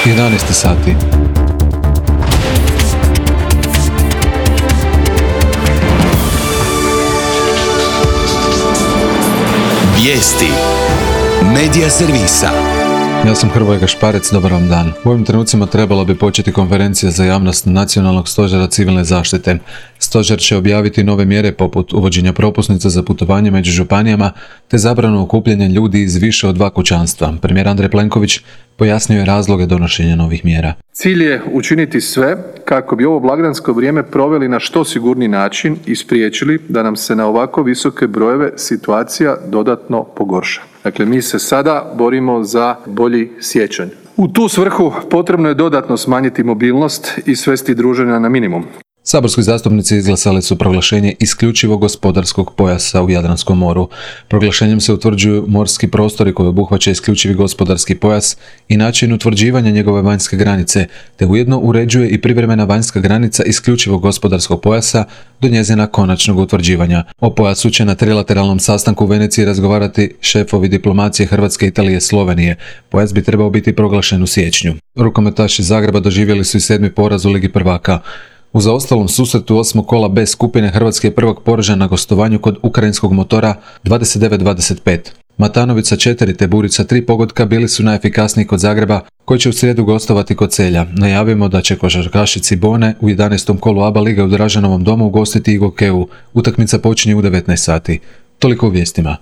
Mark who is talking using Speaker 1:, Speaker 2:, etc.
Speaker 1: 11 sati.
Speaker 2: Vijesti Medija servisa.
Speaker 1: Ja sam Hrvoje Gašparec, dobar vam dan. U ovim trenucima trebala bi početi konferencija za javnost Nacionalnog stožera civilne zaštite. Stožer će objaviti nove mjere poput uvođenja propusnica za putovanje među županijama te zabranu okupljanja ljudi iz više od 2 kućanstva. Premijer Andrej Plenković pojasnio je razloge donošenja novih mjera.
Speaker 3: Cilj je učiniti sve kako bi ovo blagdansko vrijeme proveli na što sigurniji način i spriječili da nam se na ovako visoke brojeve situacija dodatno pogorša. Dakle, mi se sada borimo za bolji siječanj. U tu svrhu potrebno je dodatno smanjiti mobilnost i svesti druženja na minimum.
Speaker 1: Saborski zastupnici izglasali su proglašenje isključivog gospodarskog pojasa u Jadranskom moru. Proglašenjem se utvrđuju morski prostori koji obuhvaća isključivi gospodarski pojas i način utvrđivanja njegove vanjske granice, te ujedno uređuje i privremena vanjska granica isključivog gospodarskog pojasa do njezina konačnog utvrđivanja. O pojasu će na trilateralnom sastanku u Veneciji razgovarati šefovi diplomacije Hrvatske, Italije i Slovenije. Pojas bi trebao biti proglašen u siječnju. Rukometaši Zagreba doživjeli su i 7. poraz u Ligi prvaka. U zaostalom susretu 8. kola B skupine Hrvatski je prvak poražen na gostovanju kod ukrajinskog Motora 29-25. Matanović 4 te Burica 3 pogotka bili su najefikasniji kod Zagreba, koji će u srijedu gostovati kod Celja. Najavimo da će košarkaši Cibone u 11. kolu ABA lige u Dražanovom domu ugostiti IGO Keu. Utakmica počinje u 19 sati. Toliko u vijestima.